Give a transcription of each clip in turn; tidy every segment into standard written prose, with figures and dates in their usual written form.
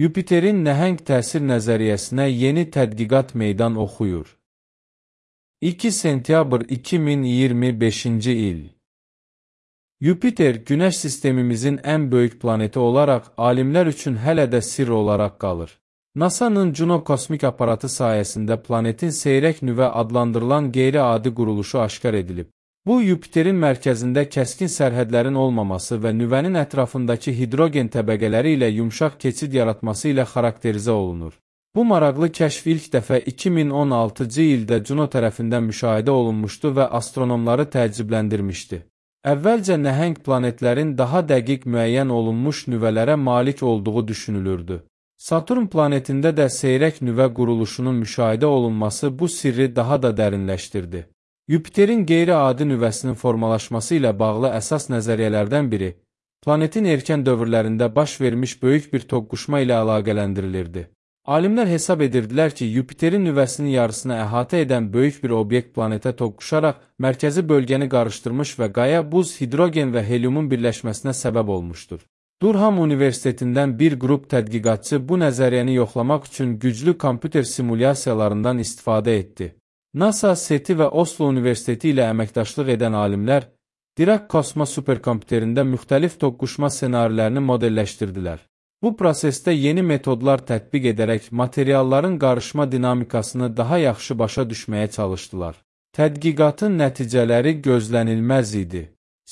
Yupiterin nəhəng təsir nəzəriyyəsinə yeni tədqiqat meydan oxuyur. 2 sentyabr 2025-ci il. Yupiter, Günəş sistemimizin ən böyük planeti olaraq alimlər üçün hələ də sirr olaraq qalır. NASA-nın Juno kosmik aparatı sayəsində planetin seyrək nüvə adlandırılan qeyri-adi quruluşu aşkar edilib. Bu, Yupiterin mərkəzində kəskin sərhədlərin olmaması və nüvənin ətrafındakı hidrogen təbəqələri ilə yumşaq keçid yaratması ilə xarakterizə olunur. Bu maraqlı kəşf ilk dəfə 2016-cı ildə Juno tərəfindən müşahidə olunmuşdu və astronomları təəccübləndirmişdi. Əvvəlcə nəhəng planetlərin daha dəqiq müəyyən olunmuş nüvələrə malik olduğu düşünülürdü. Saturn planetində də seyrək nüvə quruluşunun müşahidə olunması bu sirri daha da dərinləşdirdi. Yupiterin qeyri-adi nüvəsinin formalaşması ilə bağlı əsas nəzəriyyələrdən biri, planetin erkən dövrlərində baş vermiş böyük bir toqquşma ilə əlaqələndirilirdi. Alimlər hesab edirdilər ki, Yupiterin nüvəsinin yarısını əhatə edən böyük bir obyekt planetə toqquşaraq mərkəzi bölgəni qarışdırmış və qaya, buz, hidrogen və helyumun birləşməsinə səbəb olmuşdur. Durham Universitetindən bir qrup tədqiqatçı bu nəzəriyyəni yoxlamaq üçün güclü kompüter simulyasiyalarından istifadə etdi. NASA, SETI və Oslo Universiteti ilə əməkdaşlıq edən alimlər Dirac Kosmos superkompüterində müxtəlif toqquşma ssenarilərini modelləşdirdilər. Bu prosesdə yeni metodlar tətbiq edərək materialların qarışma dinamikasını daha yaxşı başa düşməyə çalışdılar. Tədqiqatın nəticələri gözlənilməz idi.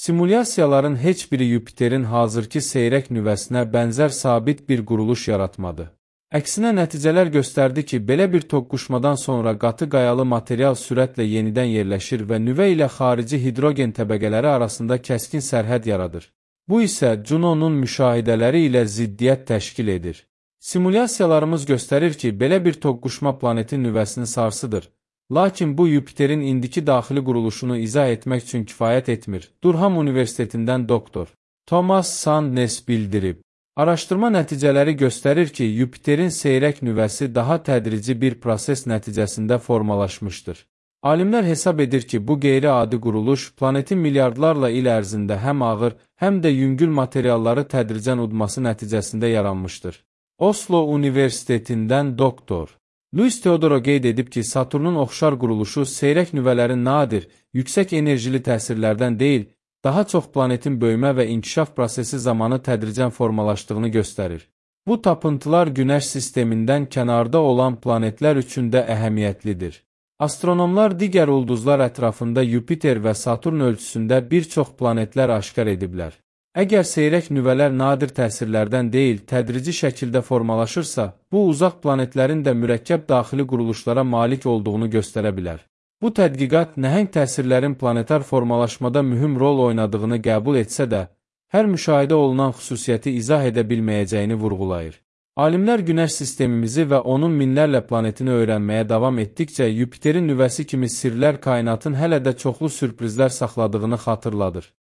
Simulyasiyaların heç biri Yupiterin hazırki seyrək nüvəsinə bənzər sabit bir quruluş yaratmadı. Əksinə nəticələr göstərdi ki, belə bir toqquşmadan sonra qatı qayalı material sürətlə yenidən yerləşir və nüvə ilə xarici hidrogen təbəqələri arasında kəskin sərhəd yaradır. Bu isə Juno'nun müşahidələri ilə ziddiyyət təşkil edir. Simulyasiyalarımız göstərir ki, belə bir toqquşma planetin nüvəsini sarsıdır. Lakin bu Yupiterin indiki daxili quruluşunu izah etmək üçün kifayət etmir. Durham Universitetindən doktor Thomas Sandnes bildirib. Araşdırma nəticələri göstərir ki, Yupiterin seyrək nüvəsi daha tədrici bir proses nəticəsində formalaşmışdır. Alimlər hesab edir ki, bu qeyri-adi quruluş planetin milyardlarla il ərzində həm ağır, həm də yüngül materialları tədricən udması nəticəsində yaranmışdır. Oslo Universitetindən doktor Luis Teodoro qeyd edib ki, Saturnun oxşar quruluşu seyrək nüvələrin nadir, yüksək enerjili təsirlərdən deyil, daha çox planetin böyümə və inkişaf prosesi zamanı tədricən formalaşdığını göstərir. Bu tapıntılar Günəş sistemindən kənarda olan planetlər üçün də əhəmiyyətlidir. Astronomlar digər ulduzlar ətrafında Yupiter və Saturn ölçüsündə bir çox planetlər aşkar ediblər. Əgər seyrək nüvələr nadir təsirlərdən deyil, tədrici şəkildə formalaşırsa, bu uzaq planetlərin də mürəkkəb daxili quruluşlara malik olduğunu göstərə bilər. Bu tədqiqat nəhəng təsirlərin planetar formalaşmada mühüm rol oynadığını qəbul etsə də, hər müşahidə olunan xüsusiyyəti izah edə bilməyəcəyini vurğulayır. Alimlər Günəş sistemimizi və onun minlərlə planetini öyrənməyə davam etdikcə Yupiterin nüvəsi kimi sirlər kainatın hələ də çoxlu sürprizlər saxladığını xatırladır.